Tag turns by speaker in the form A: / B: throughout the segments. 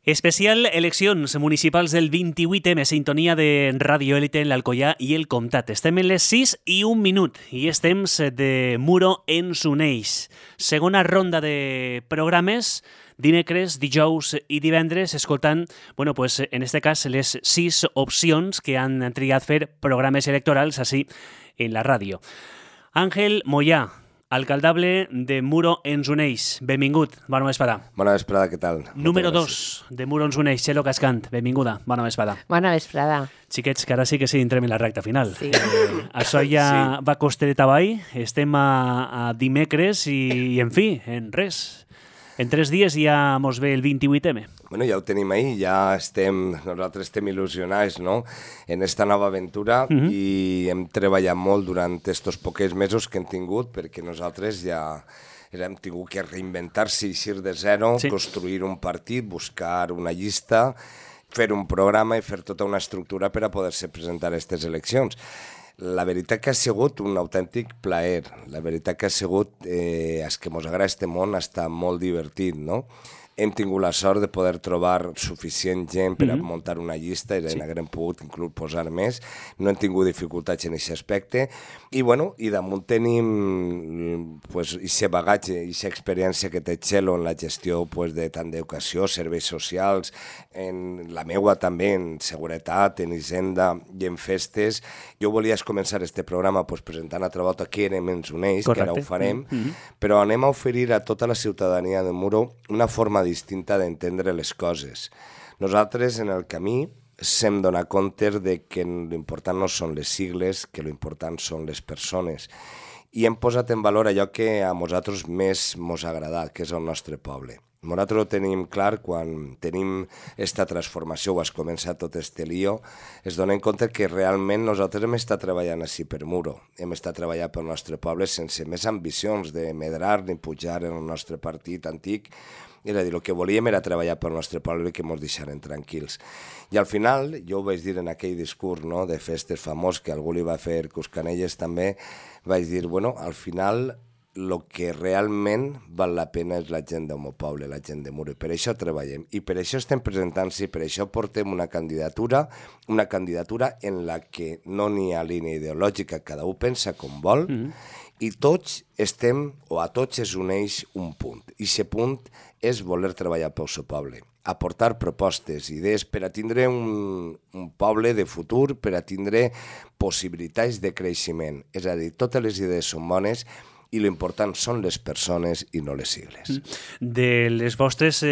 A: Especial eleccions municipals del 28M, sintonia de Ràdio Élite en l'Alcoià i el Comtat. Estem en les 6:01 i és temps de Muro ens uneix. Segona ronda de programes, dimecres, dijous i divendres, escoltant, en este cas, les 6 opcions que han triat fer programes electorals així en la ràdio. Àngel Moyà, alcaldable de Muro ens uneix. Benvingut, bona vesprada.
B: Bona vesprada, què tal?
A: Número 2 de Muro ens uneix, Txelo Cascant. Benvinguda, bona vesprada.
C: Bona vesprada.
A: Xiquets, que ara sí que entrem en la recta final.
C: Sí.
A: Això ja va coster avall, estem a dimecres i en fi, en res. En 3 dies ja mos ve el 28M.
B: Bueno, ja ho tenim ahí, nosaltres estem il·lusionats, no?, en esta nova aventura i hem treballat molt durant estos poquets mesos que hem tingut perquè nosaltres ja hem tingut que reinventar-se, eixir de zero, construir un partit, buscar una llista, fer un programa i fer tota una estructura per a poder-se presentar a aquestes eleccions. La veritat que ha sigut un autèntic plaer. La veritat que ha sigut, és que mos agrada este món, està molt divertit, no? Hem tingut la sort de poder trobar suficient gent per a muntar una llista i n'haguem pogut inclús posar més. No hem tingut dificultats en aquest aspecte. I damunt tenim aquest bagatge, aquesta experiència que té Txelo en la gestió de tant d'educació, serveis socials, en la meua també, en seguretat, en hisenda i en festes. Jo volia començar este programa presentant altra volta què ens uneix, que ara ho farem, però anem a oferir a tota la ciutadania de Muro una forma distinta d'entendre les coses. Nosaltres, en el camí, s'hem donat compte de que l'important no són les sigles, que l'important són les persones. I hem posat en valor allò que a nosaltres més ens ha agradat, que és el nostre poble. Nosaltres ho tenim clar quan tenim aquesta transformació, o es comença tot este lío, es donem compte que realment nosaltres hem estat treballant així per Muro, hem estat treballant pel nostre poble sense més ambicions de medrar ni pujar en el nostre partit antic. És a dir, el que volíem era treballar pel nostre poble i que ens deixaren tranquils. I al final, jo ho vaig dir en aquell discurs de festes famós que algú li va fer Cuscanelles també, vaig dir, al final el que realment val la pena és la gent del meu poble, la gent de Muro, i per això treballem, i per això estem presentant-se, i per això portem una candidatura en la que no n'hi ha línia ideològica, cada un pensa com vol, i tots estem, o a tots es uneix un punt, i aquest punt és voler treballar pel seu poble, aportar propostes, idees per a tindre un poble de futur, per a tindre possibilitats de creixement. És a dir, totes les idees són bones i l'important són les persones i no les sigles.
A: De les vostres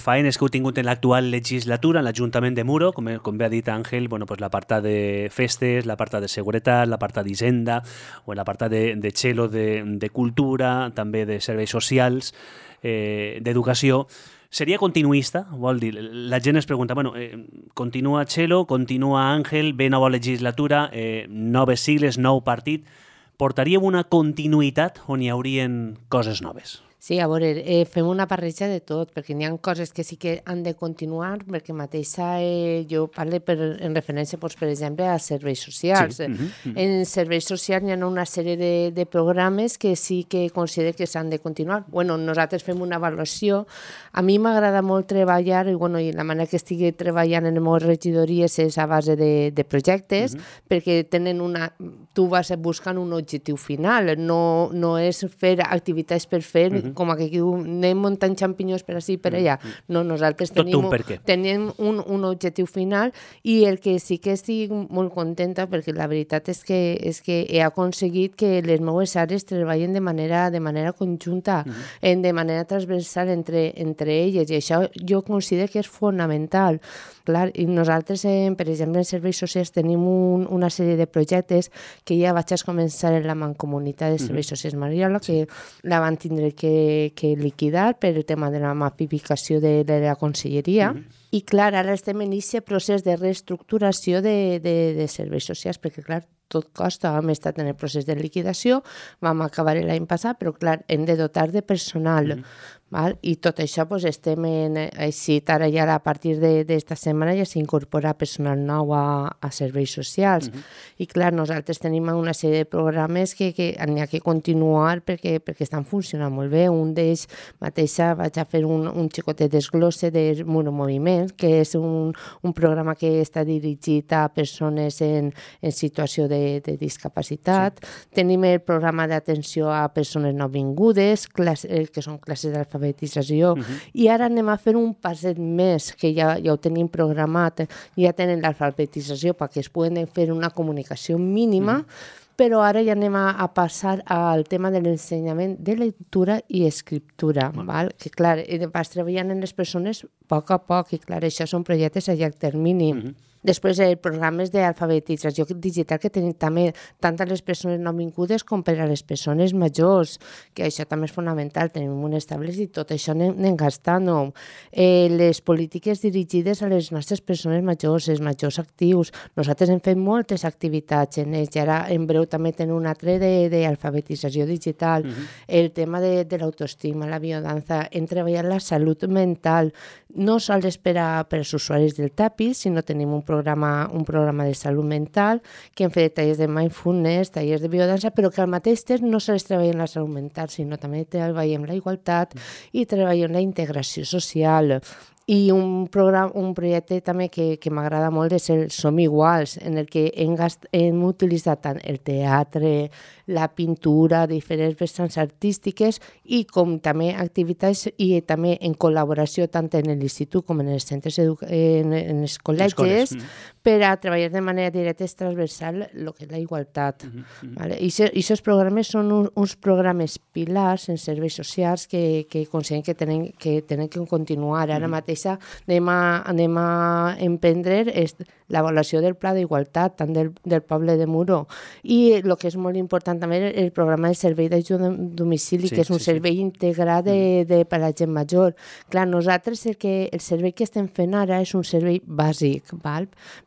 A: faenes que heu tingut en l'actual legislatura, en l'Ajuntament de Muro, com bé ha dit Àngel, l'apartat de festes, l'apartat de seguretat, l'apartat d'hisenda, o l'apartat de Txelo de cultura, també de serveis socials, d'educació, seria continuista? Vol dir, la gent es pregunta, continua Txelo, continua Àngel, ve nova legislatura, noves sigles, nou partit, portaríem una continuïtat on hi haurien coses noves?
C: Sí, a veure, fem una barreja de tot, perquè n'hi ha coses que sí que han de continuar, perquè mateixa jo parlo en referència, per exemple, a serveis socials. Sí. En serveis socials hi ha una sèrie de programes que sí que considero que s'han de continuar. Nosaltres fem una avaluació. A mi m'agrada molt treballar, i la manera que estigui treballant en les meves regidories és a base de projectes, perquè tenen tu vas buscant un objectiu final, no és fer activitats per fer, com que diu, anem muntant xampinyons per ací i per allà. No, nosaltres tenim un objectiu final i el que sí que estic molt contenta, perquè la veritat és que he aconseguit que les meves àrees treballen de manera conjunta, de manera transversal entre elles, i això jo considero que és fonamental. Clar, i nosaltres, per exemple, en serveis socials tenim una sèrie de projectes que ja vaig començar en la Mancomunitat de Serveis Socials Mariola, que la van tindre que liquidar per el tema de la mapificació de la conselleria. I clar, ara estem en aquest procés de reestructuració de serveis socials, perquè clar, tot costa, hem estat en el procés de liquidació, vam acabar l'any passat, però clar, hem de dotar de personal, Val? I tot això estem així, ara ja a partir d'esta setmana ja s'incorpora personal nou a serveis socials. I clar, nosaltres tenim una sèrie de programes que n'hi ha que continuar perquè estan funcionant molt bé. Un d'ells mateixa vaig a fer un xicotet desglosse de Muro Moviment, que és un programa que està dirigit a persones en situació de discapacitat. Tenim el programa d'atenció a persones nouvingudes, que són classes d'alfabetització, i ara anem a fer un passet més, que ja ho tenim programat, ja tenen l'alfabetització perquè es poden fer una comunicació mínima, però ara ja anem a passar al tema de l'ensenyament de lectura i escriptura, val? Que clar, vas treballant en les persones a poc, i clar, això són projectes a llarg termini. Després, programes d'alfabetització digital que tenim també tant a les persones nouvingudes com per a les persones majors, que això també és fonamental, tenim unes tables i tot això anem gastant-ho. Les polítiques dirigides a les nostres persones majors, els majors actius, nosaltres hem fet moltes activitats en ells, i ara en breu també tenim un altre d'alfabetització digital, el tema de l'autoestima, la biodanza, hem treballat la salut mental, no sols per als usuaris del TAPIS, sinó tenim un programa de salut mental, que hem fet tallers de mindfulness, tallers de biodança, però que al mateix temps no sols treballem la salut mental, sinó també treballem la igualtat i treballem la integració social. I un projecte també que m'agrada molt és el Som Iguals, en el que hem utilitzat tant el teatre, la pintura, diferents vessants artístiques i com també activitats i també en col·laboració tant en l'institut com en els centres en els col·legis per a treballar de manera directa i transversal el que és la igualtat. I aquests programes són uns programes pilars en serveis socials que considerem que tenen que continuar. Ara mateix anem a emprendre l'avaluació del pla d'igualtat tant del poble de Muro, i el que és molt important també el programa de servei d'ajuda a domicili, que és un servei integrat per a la gent major. Clar, nosaltres el servei que estem fent ara és un servei bàsic,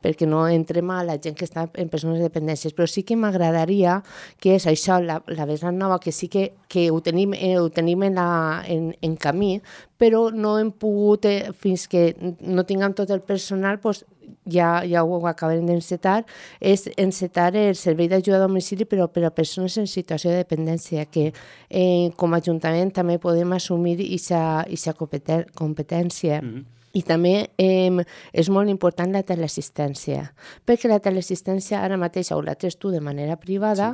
C: perquè no entrem a la gent que està en persones de dependències, però sí que m'agradaria que és això, la vessant nova, que sí que ho tenim en camí, però no hem pogut, fins que no tinguem tot el personal, ja ho acabarem d'encetar, és encetar el servei d'ajuda a domicili però per a persones en situació de dependència, que com a Ajuntament també podem assumir aquesta competència. I també és molt important la teleassistència, perquè la teleassistència ara mateix o la tens tu de manera privada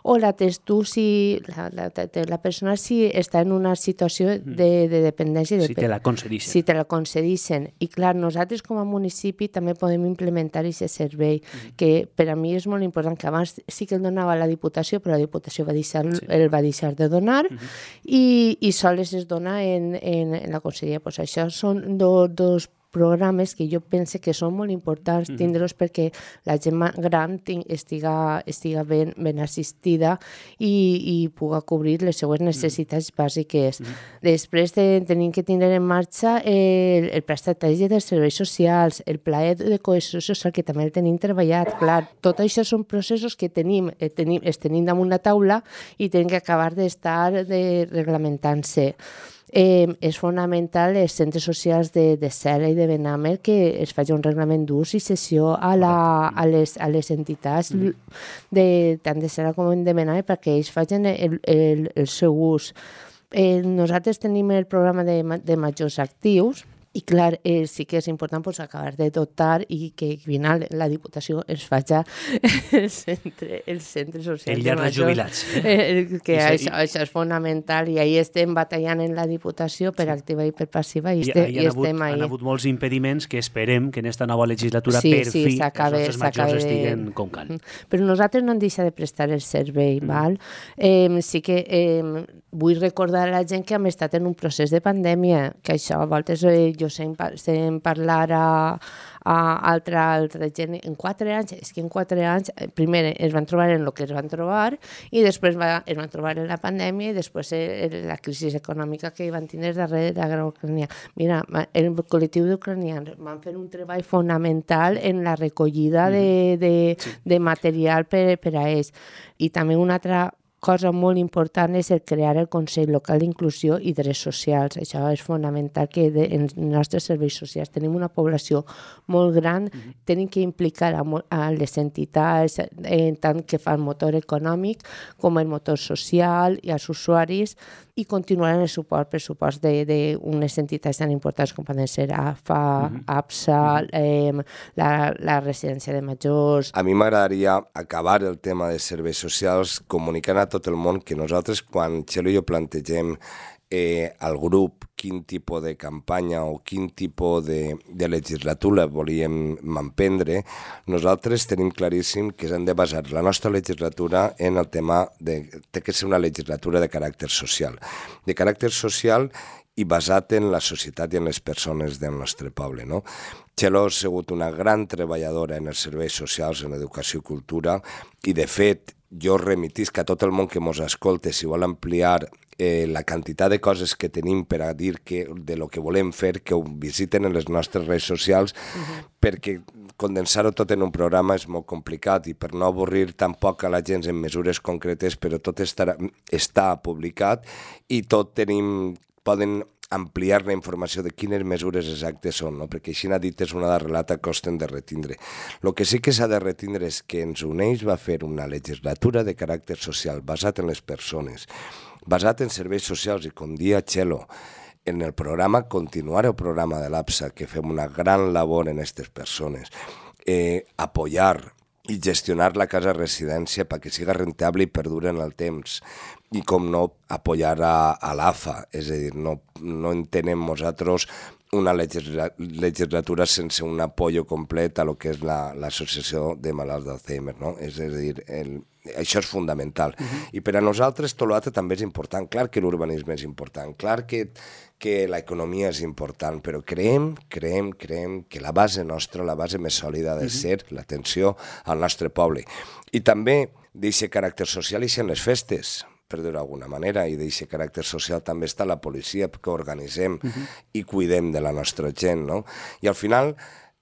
C: o la tens tu si la persona està en una situació de dependència.
A: Si te la concedixen.
C: Si te la concedixen. I clar, nosaltres com a municipi també podem implementar aquest servei, que per a mi és molt important, que abans sí que el donava la Diputació, però la Diputació el va deixar de donar i sols es dona en la conselleria. Això són dos programes que jo penso que són molt importants tindre-los perquè la gent gran estiga ben assistida i pugui cobrir les seues necessitats bàsiques. Després tenim que tindre en marxa el prestatge dels serveis socials, el pla de cohesió social, que també el tenim treballat. Clar, tot això són processos que tenim damunt la taula i tenim que acabar d'estar reglamentant-se. És fonamental els centres socials de Cela i de Benàmer que es faci un reglament d'ús i cessió a les entitats tant de Cela com de Benàmer perquè ells facin el seu ús. Nosaltres tenim el programa de majors actius, i clar, sí que és important acabar de dotar i que al final la Diputació ens faci el centre social
A: el llar de jubilats.
C: Que això és fonamental i ahí estem batallant en la Diputació per activa i per passiva i estem ahí.
A: Han hagut molts impediments que esperem que en esta nova legislatura per fi els nostres majors estiguen com cal.
C: Però nosaltres no hem deixat de prestar el servei. Sí que vull recordar a la gent que hem estat en un procés de pandèmia, que això a voltes jo sent parlar a altra gent en 4 anys, és que en 4 anys primer es van trobar en el que es van trobar i després es van trobar en la pandèmia i després la crisi econòmica que van tindre darrere de la guerra ucraniana. Mira, el col·lectiu d'ucranians van fer un treball fonamental en la recollida de material per a ells. I també un altre cosa molt important és el crear el Consell Local d'Inclusió i Drets Socials. Això és fonamental, que en els nostres serveis socials tenim una població molt gran, tenim que implicar a les entitats, tant que fan motor econòmic com el motor social i als usuaris, i continuar en el pressupost d'unes entitats tan importants com poden ser AFA, APSA, la residència de majors.
B: A mi m'agradaria acabar el tema de serveis socials comunicant a tot el món que nosaltres, quan Txelo i jo plantegem al grup quin tipus de campanya o quin tipus de legislatura volíem emprendre, nosaltres tenim claríssim que hem de basar la nostra legislatura en el tema té que ser una legislatura de caràcter social. De caràcter social i basat en la societat i en les persones del nostre poble, no? Txelo ha sigut una gran treballadora en els serveis socials, en educació i cultura, i de fet jo remitisc a tot el món que ens escolta, si vol ampliar la quantitat de coses que tenim per a dir de lo que volem fer, que ho visiten en les nostres redes socials, perquè condensar-ho tot en un programa és molt complicat i per no avorrir tampoc a la gent en mesures concretes, però tot està publicat i tot poden ampliar la informació de quines mesures exactes són, no? Perquè així n'ha dit és una relata que costen de retindre. El que sí que s'ha de retindre és que ens uneix va fer una legislatura de caràcter social basat en les persones, basat en serveis socials i, com dia Txelo, en el programa, continuar el programa de l'APSA, que fem una gran labor en aquestes persones, apoyar i gestionar la casa residència perquè siga rentable i perdure en el temps. I, com no, apoyar a l'AFA, és a dir, no entenem nosaltres una legislatura sense un apoyo complet a lo que és l'associació de malalts d'Alzheimer, no? És a dir, això és fundamental. I per a nosaltres tot l'altre també és important. Clar que l'urbanisme és important, clar que l'economia és important, però creiem que la base nostra, la base més sòlida ha de ser l'atenció al nostre poble. I també d'aquest caràcter social i en les festes, per dir-ho d'alguna manera, i d'aquest caràcter social també està la policia, que organitzem i cuidem de la nostra gent, no? I al final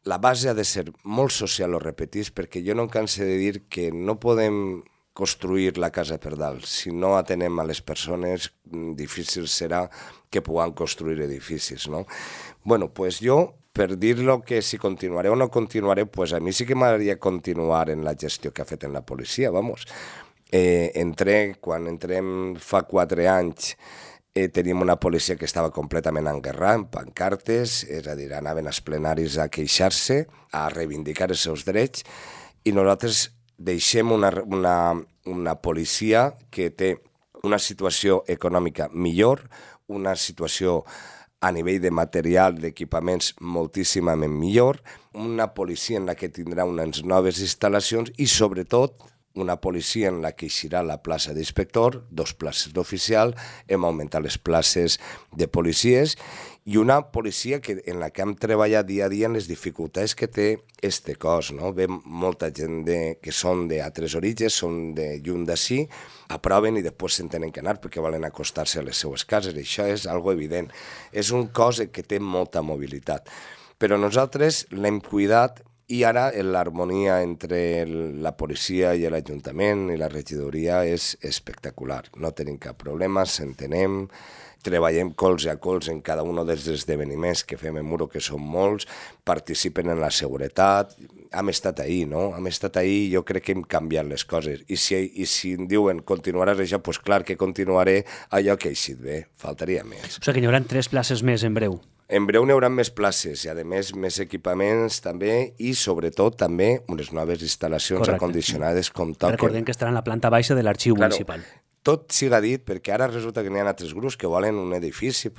B: la base ha de ser molt social, ho repetís, perquè jo no em canso de dir que no podem construir la casa per dalt. Si no atenem a les persones, difícil serà que puguem construir edificis, no? Bueno, pues jo, per dir-lo que si continuaré o no continuaré, pues a mi sí que m'agradaria continuar en la gestió que ha fet en la policia, vamos. Quan entrem fa 4 anys, teníem una policia que estava completament enguerrada, amb pancartes, és a dir, anaven als plenaris a queixar-se, a reivindicar els seus drets, i nosaltres deixem una policia que té una situació econòmica millor, una situació a nivell de material, d'equipaments moltíssimament millor, una policia en la que tindrà unes noves instal·lacions i, sobretot, una policia en la que eixirà la plaça d'inspector, 2 places d'oficial, hem augmentat les places de policies i una policia en la que hem treballat dia a dia en les dificultats que té este cos, no? Ve molta gent que són d'altres orígens, són de lluny d'ací, aproven i després se'n tenen que anar perquè volen acostar-se a les seues cases. Això és algo evident. És un cos que té molta mobilitat. Però nosaltres l'hem cuidat i ara l'harmonia entre la policia i l'Ajuntament i la regidoria és espectacular. No tenim cap problema, s'entenem, treballem colze a colze en cada un dels esdeveniments que fem en Muro, que són molts, participen en la seguretat. Hem estat ahí, no? Hem estat ahí i jo crec que hem canviat les coses. I si em diuen continuaràs això, doncs clar que continuaré allò que ha eixit bé, faltaria més.
A: O sigui que n'hi haurà 3 places més en breu.
B: En breu n'hi haurà més places i, a més, més equipaments també i, sobretot, també unes noves instal·lacions acondicionades com toquen.
A: Recordem que estarà en la planta baixa de l'arxiu municipal.
B: Tot siga dit, perquè ara resulta que n'hi ha altres grups que volen un edifici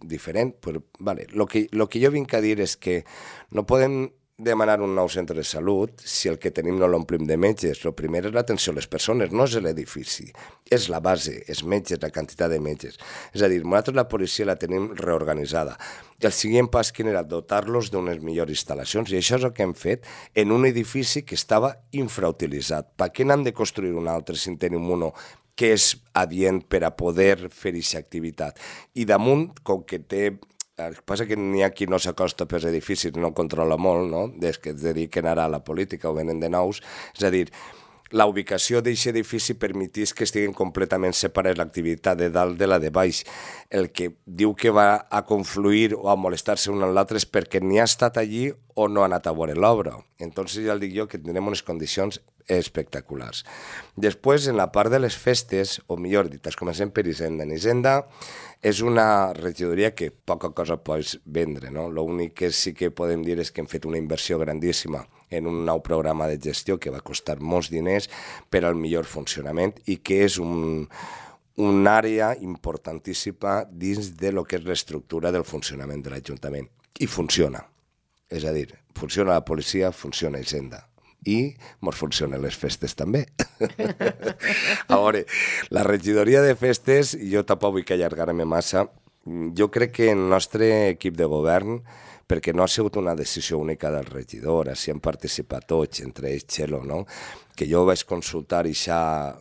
B: diferent. Vale. Lo que jo vinc a dir és que no podem demanar un nou centre de salut si el que tenim no l'omplim de metges. El primer és l'atenció a les persones, no és l'edifici. És la base, els metges, la quantitat de metges. És a dir, nosaltres la policia la tenim reorganitzada. El següent pas quin era? Dotar-los d'unes millors instal·lacions. I això és el que hem fet en un edifici que estava infrautilitzat. Per què n'hem de construir un altre si en tenim un que és adient per a poder fer aquesta activitat? I damunt, com que té... El que passa que n'hi ha qui no s'acosta pels edificis, no controla molt, no? Des que es dediquen ara a la política o venen de nous. És a dir, la ubicació d'aquest edifici permetís que estiguin completament separades l'activitat de dalt de la de baix. El que diu que va a confluir o a molestar-se un amb l'altre és perquè ni ha estat allí o no ha anat a veure l'obra. Entonces ja el dic jo que tindrem unes condicions espectaculars. Després, en la part de les festes, o millor dit, comencem per Hisenda. En Hisenda és una regidoria que poca cosa pots vendre, no? L'únic que sí que podem dir és que hem fet una inversió grandíssima en un nou programa de gestió que va costar molts diners per al millor funcionament i que és una àrea importantíssima dins de lo que és l'estructura del funcionament de l'Ajuntament. I funciona. És a dir, funciona la policia, funciona Hisenda. I mos funcionen les festes també. A veure, la regidoria de festes, jo tampoc vull allargar-me massa, jo crec que el nostre equip de govern, perquè no ha sigut una decisió única del regidor, així han participat tots, entre ells Txelo, no? Que jo vaig consultar aquesta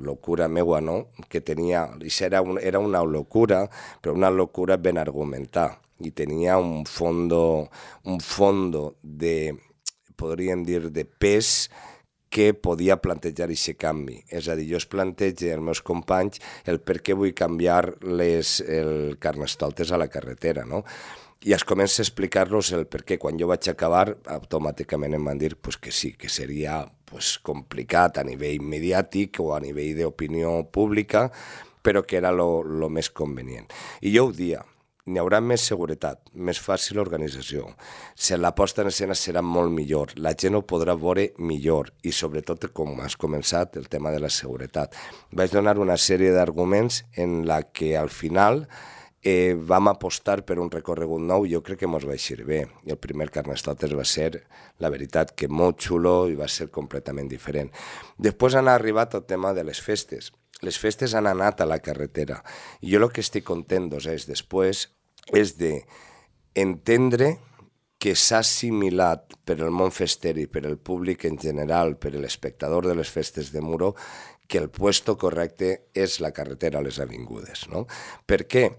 B: locura meua, no? Que tenia, era una locura, però una locura ben argumentada, i tenia un fondo de, podríem dir, de pes que podia plantejar aquest canvi. És a dir, jo es plantejo als meus companys el per què vull canviar el carnestoltes a la carretera, no? I es comença a explicar-los el per què. Quan jo vaig acabar, automàticament em van dir que sí, que seria complicat a nivell mediàtic o a nivell d'opinió pública, però que era el més convenient. I jo ho dia, n'hi haurà més seguretat, més fàcil organització. La posta en escena serà molt millor, la gent ho podrà veure millor i sobretot, com has començat, el tema de la seguretat. Vaig donar una sèrie d'arguments en la que al final vam apostar per un recorregut nou i jo crec que ens va eixir bé. I el primer Carnestoltes va ser, la veritat, que molt xulo i va ser completament diferent. Després han arribat el tema de les festes. Les festes han anat a la carretera. I jo el que estic content 2 anys després és d'entendre que s'ha assimilat per el món fester i per el públic en general, per l'espectador de les festes de Muro, que el puesto correcte és la carretera a les avingudes, no? Per què?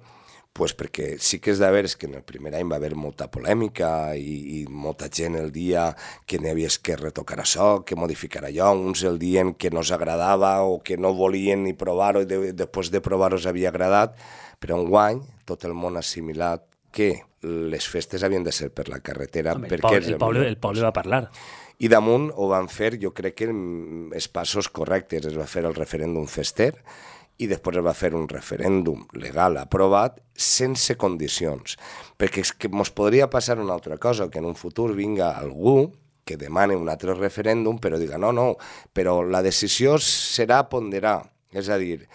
B: Pues perquè sí que és de veres que en el primer any va haver molta polèmica i molta gent el dia que n'havies que retocar això, que modificar allò, uns el dient que no s'agradava o que no volien ni provar-ho i després de provar-ho s'havia agradat, però enguany tot el món ha assimilat que les festes havien de ser per la carretera.
A: Home, el poble va parlar.
B: I damunt ho van fer, jo crec que els passos correctes. Es va fer el referèndum fester i després es va fer un referèndum legal aprovat sense condicions. Perquè és que ens podria passar una altra cosa, que en un futur vinga algú que demani un altre referèndum però diga no, però la decisió serà ponderar. És a dir,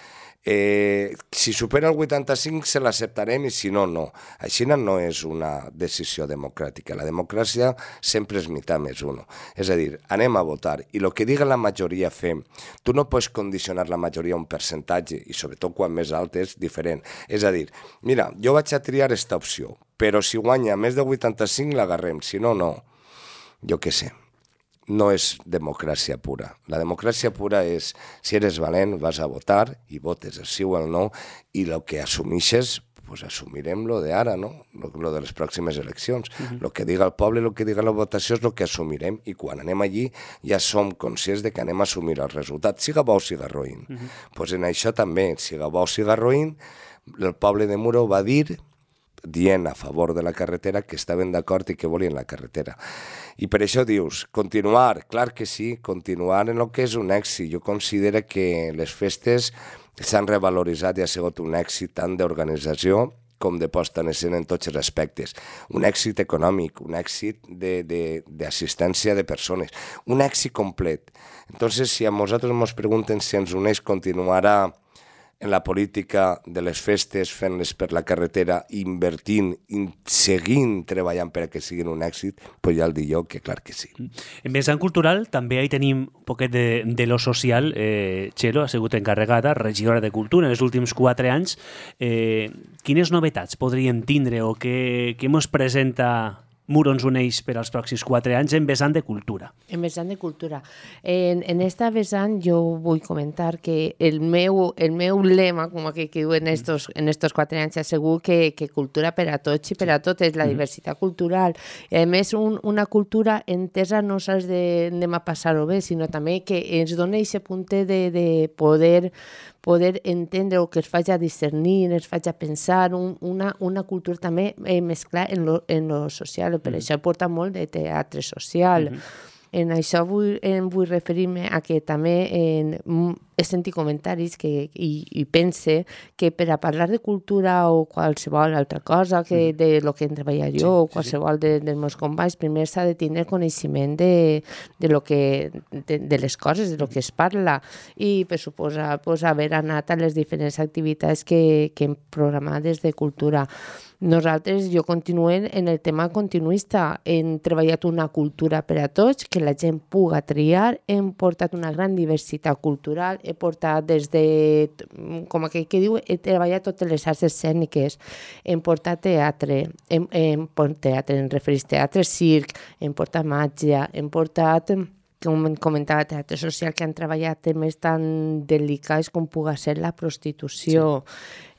B: si supera el 85 se l'acceptarem i si no, no. Així no és una decisió democràtica. La democràcia sempre és meitat més uno. És a dir, anem a votar i el que diga la majoria fem. Tu no pots condicionar la majoria a un percentatge i sobretot quan més alt és diferent. És a dir, mira, jo vaig a triar aquesta opció, però si guanya més de 85 l'agarrem, si no, no. Jo què sé. No és democràcia pura. La democràcia pura és, si eres valent, vas a votar i votes el sí o el no i el que assumixes, pues assumirem lo de ara, no? Lo de les pròximes eleccions. Lo que diga el poble, lo que diga la votació és lo que assumirem i quan anem allí ja som conscients de que anem a assumir el resultat, siga bo o siga roïn. Pues en això també, siga bo o siga roïn, el poble de Muro va dir dient a favor de la carretera que estaven d'acord i que volien la carretera. I per això dius, continuar, clar que sí, continuar en el que és un èxit. Jo considero que les festes s'han revaloritzat i ha sigut un èxit tant d'organització com de posta en escena en tots els aspectes. Un èxit econòmic, un èxit d'assistència de persones, un èxit complet. Entonces, si a nosaltres ens pregunten si ens uneix continuarà en la política de les festes, fent-les per la carretera, invertint, seguint treballant per a que siguin un èxit, doncs ja el dic jo que clar que sí.
A: En vessant cultural també hi tenim un poquet de lo social. Txelo ha sigut encarregada, regidora de Cultura en els últims 4 anys. Quines novetats podríem tindre o què ens presenta Muro ens uneix per als pròxims 4 anys en vessant de cultura.
C: En vessant de cultura. En esta vessant jo vull comentar que el meu lema, com que diu en estos 4 anys, segur que cultura per a tots i per a tot és la diversitat cultural. I a més, una cultura entesa no sols d'anem a passar-ho bé, sinó també que ens dona aquest punt de poder entendre o que es faci a discernir, es faci a pensar, una cultura també mesclar en lo social. Per això porta molt de teatre social. En això vull referir-me a que també he sentit comentaris i pense que per a parlar de cultura o qualsevol altra cosa, que de lo que hem treballat jo o qualsevol dels meus companys, primer s'ha de tenir coneixement de les coses, de lo que es parla, i per suposar haver anat a les diferents activitats que hem programat des de cultura. Nosaltres, jo continuem en el tema continuista. Hem treballat una cultura per a tots, que la gent puga triar. Hem portat una gran diversitat cultural. He portat des de, com aquell que diu, he treballat totes les arts escèniques. Hem portat teatre, em refereix teatre, circ, hem portat màgia, hem portat, com comentava, teatre social, que han treballat temes tan delicats com puga ser la prostitució.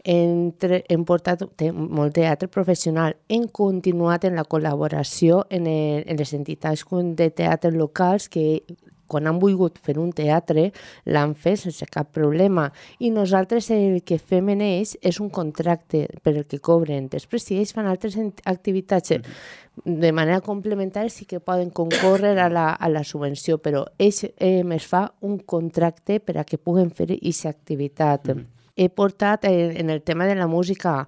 C: Hem portat molt teatre professional. Hem continuat en la col·laboració en les entitats de teatre locals que quan han volgut fer un teatre l'han fet sense cap problema. I nosaltres el que fem en ells és un contracte per el que cobren. Després, si ells fan altres activitats de manera complementària, sí que poden concórrer a la subvenció, però ells es fa un contracte per a que puguen fer aquesta activitat. He portat en el tema de la música,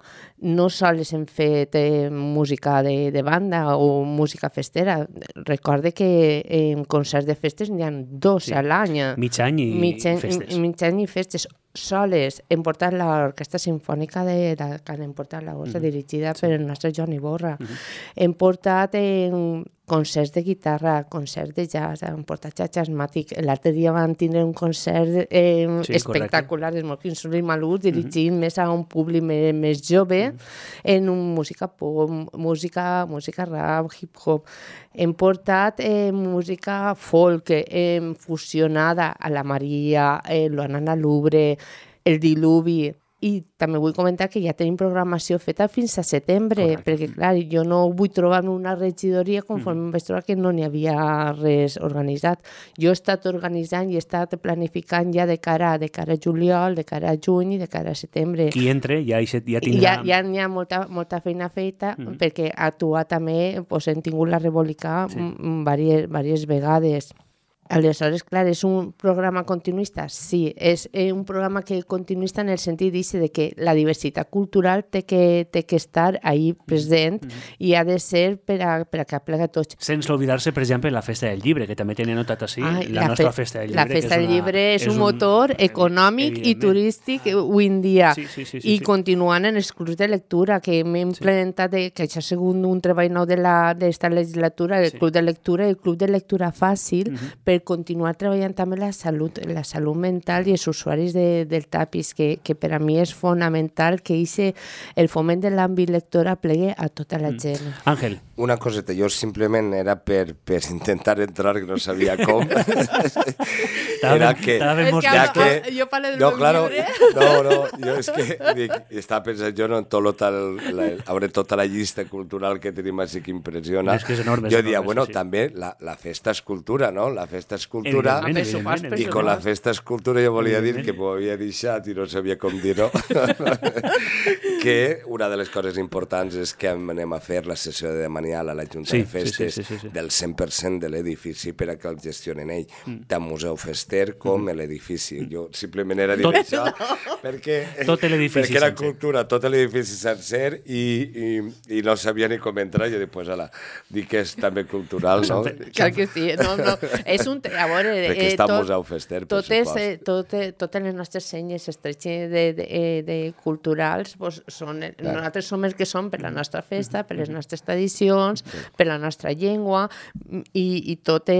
C: no sols hem fet música de banda o música festera. Recorde que en concerts de festes n'hi ha 2 a l'any.
A: Mig any i festes.
C: Mig any i festes. Soles hem portat l'Orquestra Simfònica hem portat la bossa dirigida per el nostre Joan Iborra. Hem portat concerts de guitarra, concerts de jazz, hem portat jazz-màtic. L'altre dia van tindre un concert espectacular de Smoking Soul i Malús, dirigint més a un públic més jove, en música pop, música rap, hip-hop. Hem portat música folk fusionada a la Maria, l'Anna Lubre, el Diluvi. I també vull comentar que ja tenim programació feta fins a setembre, perquè, clar, jo no vull trobar una regidoria conforme em vaig trobar que no n'hi havia res organitzat. Jo he estat organitzant i he estat planificant ja de cara a juliol, de cara a juny i de cara a setembre.
A: Qui entre ja tindrà...
C: Ja n'hi ha molta feina feta, perquè actuar també hem tingut la Rebolica diverses vegades. Aleshores, clar, és un programa continuista? Sí, és un programa continuista en el sentit de que la diversitat cultural té que estar ahí present i ha de ser per a que aplega tots.
A: Sense oblidar-se, per exemple, la Festa del Llibre, que també tenia notat així, la nostra Festa del Llibre.
C: La Festa del Llibre és un motor econòmic i turístic avui en dia. I continuant en els clubs de lectura, que hem implementat, que això ha sigut un treball nou d'esta legislatura, el Club de Lectura i el Club de Lectura Fàcil, per continuar treballant també la salut mental i els usuaris del TAPIS, que per a mi és fonamental que el foment de l'àmbit lector aplegui a tota la gent.
A: Àngel.
B: Una coseta, jo simplement era per intentar entrar, que no sabia com. Era que...
C: Jo parlo del meu llibre.
B: No, jo és que estava pensant, jo no hauré tota la llista cultural que tenim així que impressiona.
A: És que és enorme.
B: Jo diria, bueno, també la festa és cultura, no? La festa és cultura, i con la festa és cultura jo volia dir que m'ho havia deixat i no sabia com dir-ho, que una de les coses importants és que anem a fer la sessió de demanial a la Junta de Festes del 100% de l'edifici per a que el gestionen ell, tant museu fester com l'edifici. Jo simplement era dir això perquè era cultura, tot l'edifici sencer i no sabia ni com entrar. Jo dic, pues ala, dic que és també cultural, no?
C: Clar que sí, no. És assumpte. A veure,
B: perquè està al Museu Fester, per supost.
C: Totes les nostres senyes culturals nosaltres som els que som per la nostra festa, per les nostres tradicions, per la nostra llengua, i tot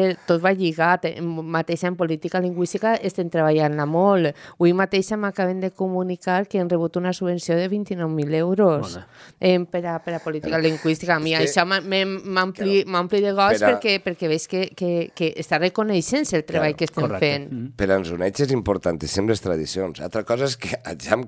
C: va lligat. Mateixa en política lingüística estem treballant-la molt. Avui mateixa m'acaben de comunicar que han rebut una subvenció de 29.000 euros per a política lingüística. A mi això m'ampli de goig perquè veig que està reconeixent el treball que estem fent.
B: Per a ens uneix és importantíssim les tradicions. Altra cosa és que hagin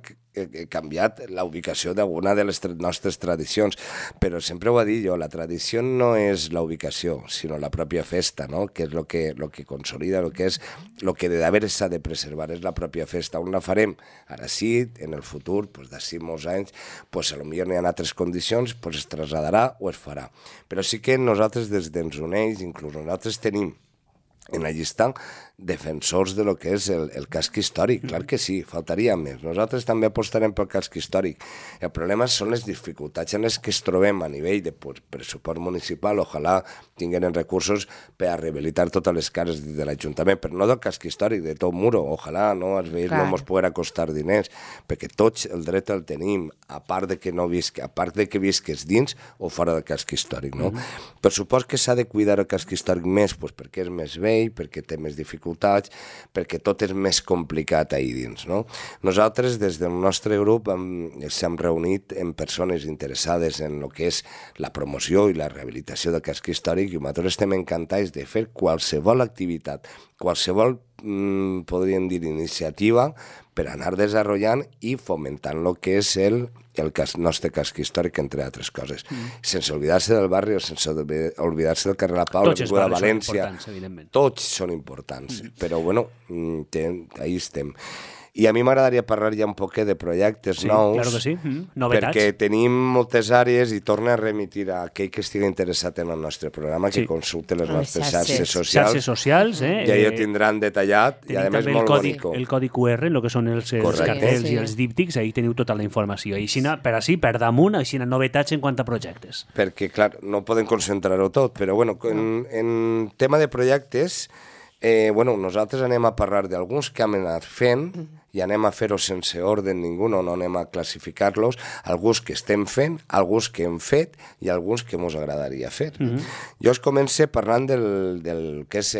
B: canviat la ubicació d'alguna de les nostres tradicions, però sempre ho he dit jo, la tradició no és la ubicació, sinó la pròpia festa, no? Que és el que consolida, el que d'haver s'ha de preservar, és la pròpia festa. On la farem? Ara sí, en el futur, d'ací molts anys, potser n'hi ha altres condicions, es trasladarà o es farà. Però sí que nosaltres des d'Ens Uneix, inclús nosaltres tenim en la llista defensors de lo que és el casc històric. Clar que sí, faltaria més. Nosaltres també apostarem pel casc històric. El problema són les dificultats en les que es trobem a nivell de pressupost municipal. Ojalà tinguin recursos per a rehabilitar totes les cases de l'Ajuntament, però no del casc històric, de tot muro. Ojalà no els veïns no ens poguera costar diners, perquè tots el dret el tenim, a part de que visques dins o fora del casc històric. No? Per supost que s'ha de cuidar el casc històric més perquè és més vell, perquè té més dificultats, perquè tot és més complicat ahir dins. No? Nosaltres, des del nostre grup, s'hem reunit amb persones interessades en el que és la promoció i la rehabilitació del casc històric, i nosaltres estem encantats de fer qualsevol activitat, qualsevol, podríem dir, iniciativa per anar desenvolupant i fomentant el que és el nostre casc històric, entre altres coses. Sense oblidar-se del barri o sense oblidar-se del carrer La Pau, l'avinguda València. Tots són importants, però bueno, ahí estem. I a mi m'agradaria parlar ja un poquet de projectes nous,
A: claro que sí. Novetats.
B: Perquè tenim moltes àrees i torno a remitir a aquell que estigui interessat en el nostre programa, que consulte les nostres xarxes socials.
A: Xarxes socials,
B: I allò tindran detallat, i a més molt bonic.
A: El codi QR, el que són els cartells i els díptics, ahí teniu tota la informació. I per damunt, així novetats en quant a projectes.
B: Perquè, clar, no podem concentrar-ho tot, però bueno, en tema de projectes, nosaltres anem a parlar d'alguns que hem anat fent i anem a fer-ho sense ordre ningú, no anem a classificar-los, alguns que estem fent, alguns que hem fet i alguns que ens agradaria fer. Jo us començo parlant del que és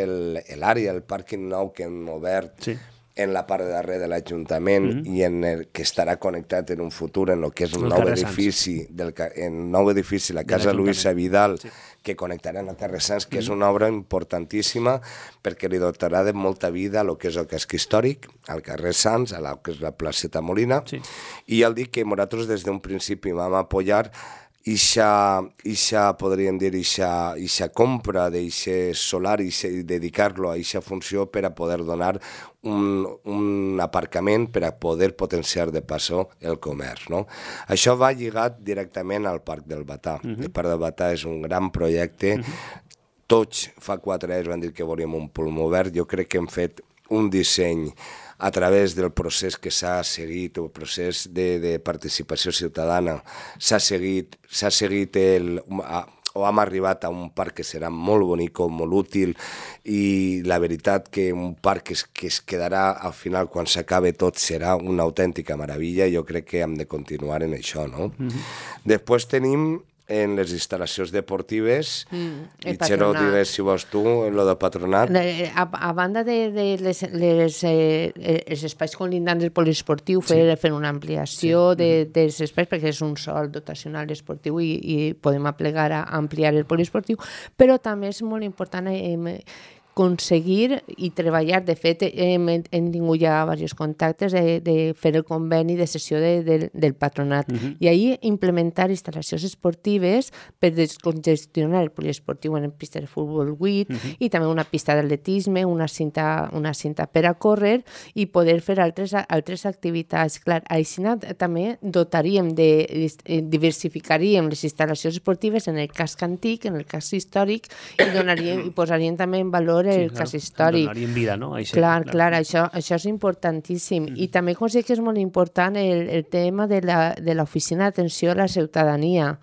B: l'àrea, el pàrquing nou que hem obert en la part de darrere de l'Ajuntament i que estarà connectat en un futur en el que és un nou edifici, la Casa Luisa Vidal, que connectaran a Carrer Sants, que és una obra importantíssima perquè li dotarà de molta vida a lo que és el casc històric, al carrer Sants, a la que és la placeta Molina, i ja dic que nosaltres des d'un principi vam apoyar podríem dir, ixa compra d'eixe solar i dedicar-lo a eixa funció per a poder donar un aparcament per a poder potenciar de passo el comerç. No? Això va lligat directament al Parc del Batà. El Parc del Batà és un gran projecte. Tots fa 4 anys van dir que volíem un pulmó verd. Jo crec que hem fet un disseny a través del procés que s'ha seguit, el procés de participació ciutadana, s'ha seguit o hem arribat a un parc que serà molt bonic, molt útil, i la veritat que un parc que es quedarà al final, quan s'acabe tot, serà una autèntica meravella. Jo crec que hem de continuar en això, no? Després tenim en les instal·lacions deportives, i Xero, digues si vols tu, en lo del patronat.
C: A banda dels espais colindants del poliesportiu, fer una ampliació dels espais, perquè és un sol dotacional esportiu i podem aplegar a ampliar el poliesportiu, però també és molt important aconseguir i treballar. De fet, hem tingut ja diversos contactes de fer el conveni de cessió del patronat i ahir implementar instal·lacions esportives per descongestionar el poliesportiu en pista de futbol 8 i també una pista d'atletisme, una cinta per a córrer i poder fer altres activitats. Clar, així també diversificaríem les instal·lacions esportives en el casc antic, en el casc històric, i posaríem també en valor veure el cas històric.
A: Donar-hi vida, no?
C: Clar, això és importantíssim. I també considero que és molt important el tema de l'oficina d'atenció a la ciutadania,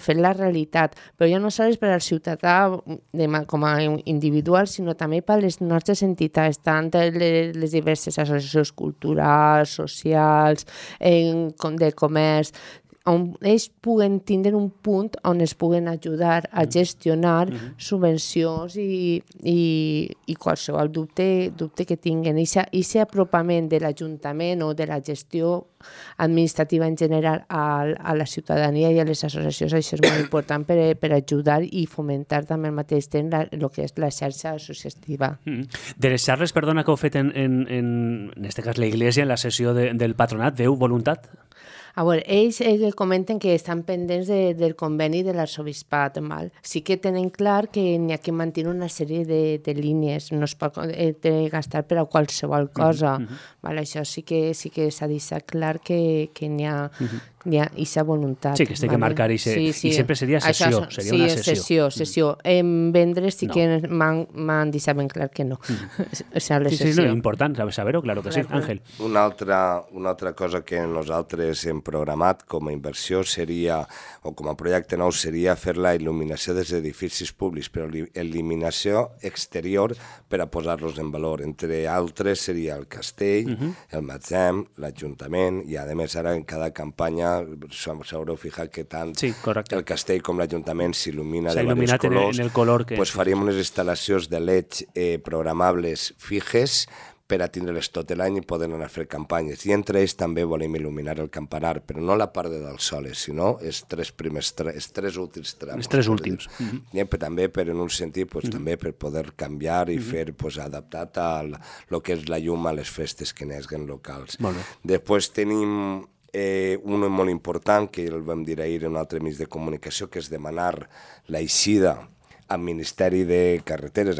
C: fer la realitat, però ja no sols per al ciutadà com a individual, sinó també per les nostres entitats, tant les diverses associacions culturals, socials, de comerç, on ells puguen tindre un punt on es puguen ajudar a gestionar subvencions i qualsevol dubte que tinguen. I aquest apropament de l'Ajuntament o de la gestió administrativa en general a la ciutadania i a les associacions, això és molt important per ajudar i fomentar també al mateix temps el que és la xarxa associativa.
A: De les xarres, perdona, que heu fet en este cas la Iglesia, en la sessió del patronat, veu voluntat?
C: A veure, ells comenten que estan pendents del conveni de l'arxebisbat. Sí que tenen clar que n'hi ha que mantenir una sèrie de línies, no es pot gastar per a qualsevol cosa. Això sí que s'ha deixat clar que n'hi ha aquesta voluntat.
A: Sí, que es té que marcar i sempre seria sessió, seria una sessió.
C: Sessió. En vendres sí que m'han deixat ben clar que no.
A: Sí, important saber-ho, claro que sí. Àngel.
B: Una altra cosa que nosaltres hem programat com a inversió seria, o com a projecte nou, seria fer la il·luminació dels edificis públics, però il·luminació exterior per a posar-los en valor. Entre altres seria el castell, el magatzem, l'Ajuntament, i a més ara en cada campanya s'haureu fijat que tant el castell com l'Ajuntament s'il·lumina de diversos colors.
A: En el color que...
B: Faríem unes instal·lacions de LEDs programables fijes per a tindre-les tot l'any i poder anar a fer campanyes. I entre ells també volem il·luminar el campanar, però no la part de dalt soles, sinó els tres últims trams.
A: Els tres últims.
B: També per, en un sentit, també per poder canviar i fer adaptat a el que és la llum a les festes que neguen locals. Després tenim un molt important, que el vam dir ahir en un altre mig de comunicació, que és demanar l'eixida al Ministeri de Carreteres,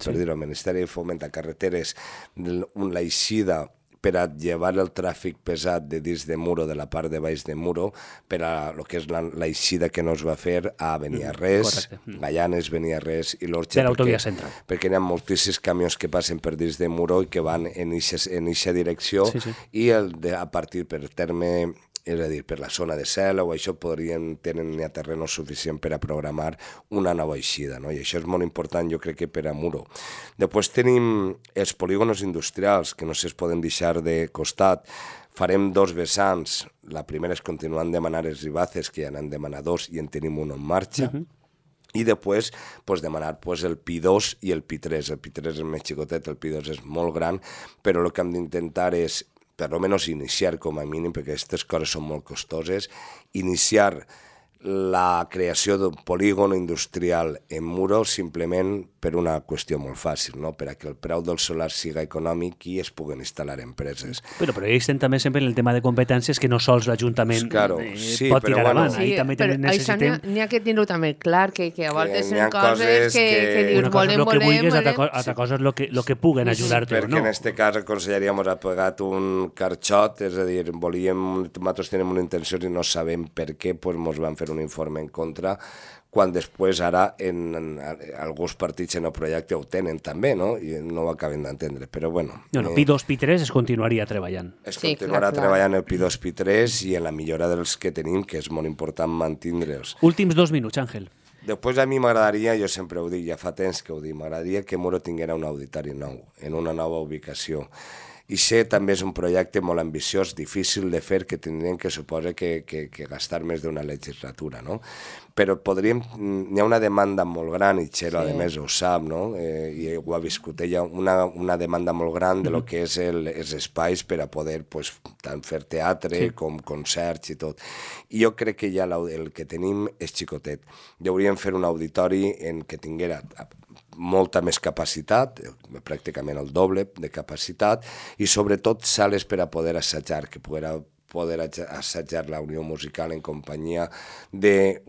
B: per dir-ho, al Ministeri de Foment a Carreteres, l'eixida per a llevar el tràfic pesat de dins de Muro, de la part de baix de Muro, per a el que és l'eixida que no es va fer a Beniarrés, Gaianes, Beniarrés i l'Orxa.
A: De l'autovia central.
B: Perquè hi ha moltíssims camions que passen per dins de Muro i que van en eixa direcció i a partir per terme, és a dir, per la zona de Cel o això tenen ja terreno suficient per a programar una nova eixida, no? I això és molt important, jo crec que per a Muro. Després tenim els polígonos industrials, que no es poden deixar de costat. Farem dos vessants. La primera és continuant demanant els ribaces, que ja n'han demanat dos i en tenim un en marxa. I després demanar el Pi2 i el Pi3. El Pi3 és més xicotet, el Pi2 és molt gran, però el que hem d'intentar és per almenys iniciar com a mínim, perquè aquestes coses són molt costoses, iniciar la creació d'un polígon industrial en Muro simplement per una qüestió molt fàcil, no? Per a que el preu del solar siga econòmic i es puguen instal·lar empreses.
A: Però ells tenen també sempre el tema de competències que no sols l'Ajuntament pot tirar avant.
C: Això n'hi ha que tenir-ho també clar, que a voltes són coses que dius volem,
A: altra cosa és el que puguen ajudar-te o no.
B: Perquè en aquest cas aconsellaríem ha pagat un carxot, és a dir, nosaltres tenim una intenció i no sabem per què, ens van fer un informe en contra, quan després ara alguns partits en el projecte ho tenen també, no? I no ho acaben d'entendre, però bueno.
A: Pi2, Pi3 es continuaria treballant.
B: Es continuarà treballant el Pi2, Pi3 i en la millora dels que tenim, que és molt important mantindre'ls.
A: Últims 2 minuts, Àngel.
B: Després a mi m'agradaria, jo sempre ho dic, ja fa temps que ho dic, m'agradaria que Muro tinguera un auditori nou, en una nova ubicació. I també és un projecte molt ambiciós, difícil de fer, que tindrien que suposa que gastar més d'una legislatura, no? Però hi ha una demanda molt gran, i Txelo, a més, ho sap, no? I ho ha viscut ella, una demanda molt gran de lo que és els espais per a poder tant fer teatre com concerts i tot. I jo crec que ja el que tenim és xicotet. Hauríem fer un auditori en què tinguera molta més capacitat, pràcticament el doble de capacitat, i sobretot sales per a poder assajar, que poder assajar la Unió Musical en companyia d'un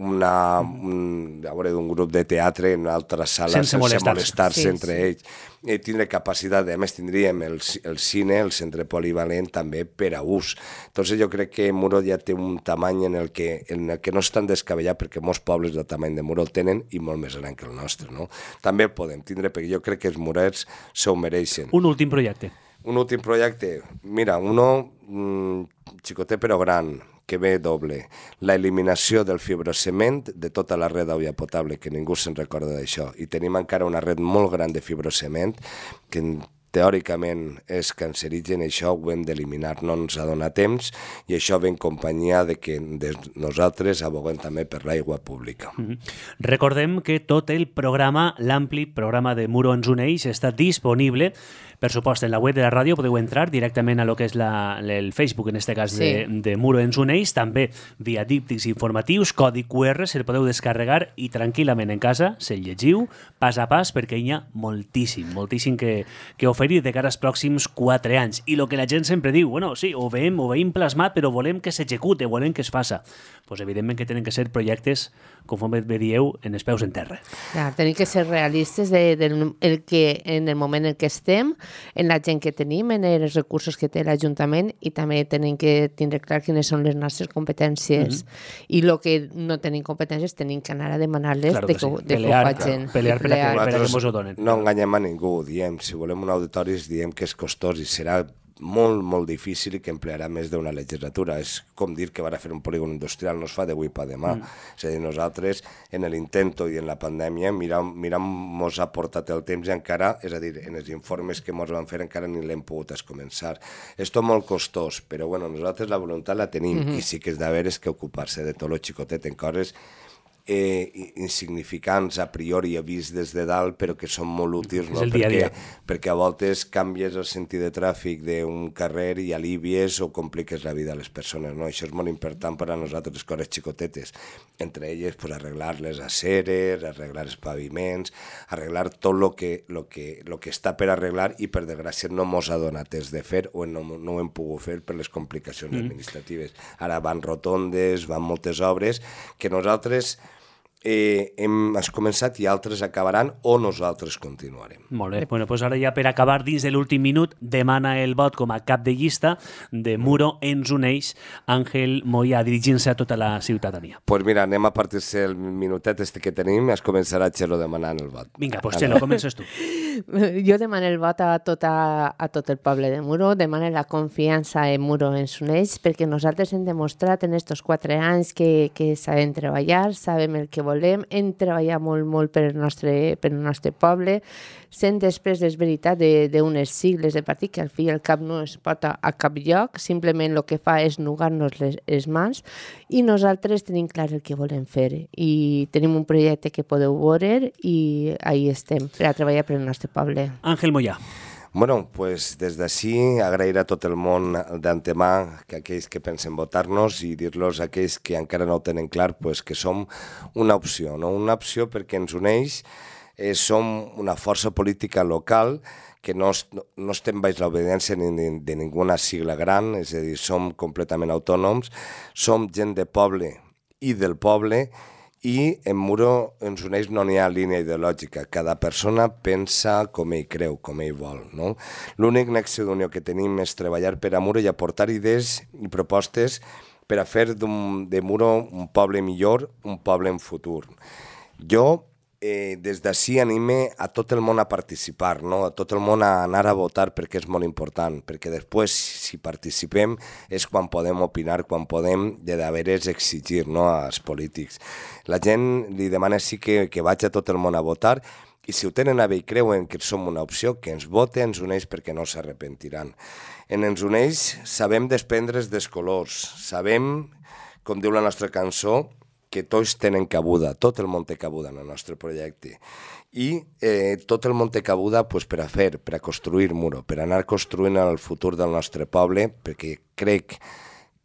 B: grup de teatre en una altra sala sense molestar-se entre ells. Tindre capacitat, a més tindríem el cine, el centre polivalent també per a ús. Entonces jo crec que Muro ja té un tamany en el que no és tan descabellat, perquè molts pobles del tamany de Muro el tenen i molt més gran que el nostre, no? També el podem tindre, perquè jo crec que els murets s'ho mereixen.
A: Un últim projecte.
B: Un últim projecte, mira, xicotet però gran, que ve doble. La eliminació del fibrocement de tota la red d'aigua potable, que ningú se'n recorda d'això. I tenim encara una red molt gran de fibrocement que teòricament és cancerigen, això ho hem d'eliminar, no ens ha donat temps, i això ve en companyia de que nosaltres aboguem també per l'aigua pública.
A: Recordem que tot el programa, l'ampli programa de Muro ens uneix, està disponible, per supost, en la web de la ràdio podeu entrar directament a lo que és el Facebook, en aquest cas de Muro ens uneix, també via díptics informatius, codi QR, se'l podeu descarregar i tranquil·lament en casa se'l llegiu pas a pas, perquè hi ha moltíssim que oferir de cara als pròxims 4 anys. I el que la gent sempre diu, bueno, sí, ho veiem plasmat, però volem que s'execute, volem que es faça. Doncs evidentment que tenen que ser projectes, conforme bé dieu, en els peus en terra.
C: Clar, tenen que ser realistes en el moment en què estem, en la gent que tenim, en els recursos que té l'Ajuntament, i també tenen que tindre clar quines són les nostres competències. I el que no tenim competències tenim que anar a demanar-les de que ho facin.
A: Pelear per a que mos ho donen.
B: No enganyem a ningú, diem, si volem un auditori diem que és costós i serà molt, molt difícil i que emplearà més d'una legislatura. És com dir que va fer un polígon industrial, no es fa d'avui per demà. És a dir, nosaltres, en l'intento i en la pandèmia, mos ha portat el temps i encara, és a dir, en els informes que mos van fer encara ni l'hem pogut començar. És tot molt costós, però bueno, nosaltres la voluntat la tenim i sí que és d'haver que ocupar-se de tot lo xicotet en coses insignificants a priori vist des de dalt, però que són molt útils, no? Perquè a voltes canvies el sentit de tràfic d'un carrer i alivies o compliques la vida a les persones, no? Això és molt important per a nosaltres, les coses xicotetes, entre elles pues, arreglar les aceres, arreglar els paviments, arreglar tot lo que està per arreglar i per desgràcia no mos ha donat temps de fer o no ho hem pogut fer per les complicacions administratives. Ara van rotondes, van moltes obres que nosaltres hem començat i altres acabaran o nosaltres continuarem.
A: Molt bé, bueno, doncs ara ja per acabar dins de l'últim minut demana el vot com a cap de llista de Muro ens uneix Àngel Moya dirigint-se a tota la ciutadania.
B: Doncs mira, anem a partir-se el minutet que tenim, es començarà Txelo demanant el vot.
A: Vinga, doncs Txelo, comences tu.
C: Jo demano el vot a tot el poble de Muro, demano la confiança en Muro ens uneix, perquè nosaltres hem demostrat en aquests 4 anys que sabem treballar, sabem el que volem, hem treballat molt per el nostre poble, sent després, és veritat, d'unes sigles de partit que al fi i al cap no es porta a cap lloc, simplement el que fa és nugar-nos les mans, i nosaltres tenim clar el que volem fer, i tenim un projecte que podeu veure, i ahí estem, per a treballar per el nostre poble.
A: Àngel Moya.
B: Bueno, pues des d'ací agrair a tot el món d'antemà que aquells que pensen votar-nos i dir-los a aquells que encara no ho tenen clar pues, que som una opció, no? Una opció perquè ens uneix, som una força política local que no estem baix l'obediència de ninguna sigla gran, és a dir, som completament autònoms, som gent de poble i del poble, i en Muro ens uneix no n'hi ha línia ideològica, cada persona pensa com ell creu, com ell vol, no? L'únic nexe d'unió que tenim és treballar per a Muro i aportar idees i propostes per a fer de Muro un poble millor, un poble en futur. Jo des d'ací anime a tot el món a participar, no? A tot el món a anar a votar perquè és molt important, perquè després si participem és quan podem opinar, quan podem de veres exigir, no? Als polítics. La gent li demana sí que vaig a tot el món a votar i si ho tenen a bé i creuen que som una opció, que ens vote, ens uneix perquè no s'arrepentiran. En ens uneix sabem desprendre's dels colors, sabem, com diu la nostra cançó, que tots tenen cabuda, tot el món té cabuda en el nostre projecte. I tot el món té cabuda pues, per a construir Muro, per anar construint el futur del nostre poble, perquè crec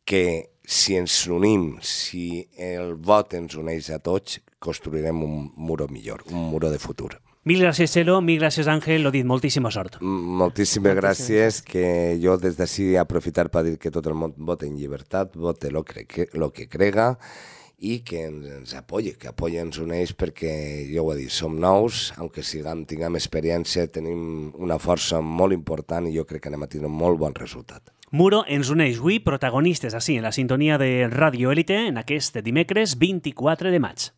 B: que si ens unim, si el vot ens uneix a tots, construirem un Muro millor, un Muro de futur.
A: Mil gràcies, Txelo, mil gràcies, Àngel, lo dit, moltíssima sort.
B: Moltíssimes gràcies, que jo des d'ací aprofitar per dir que tot el món vote en llibertat, vote lo que crega i que ens apoyi, que apoyi ens uneix, perquè jo ho he dit, som nous, aunque tinguem experiència, tenim una força molt important i jo crec que anem a tenir un molt bon resultat.
A: Muro ens uneix avui protagonistes així en la sintonia de Radio Élite en aquest dimecres 24 de maig.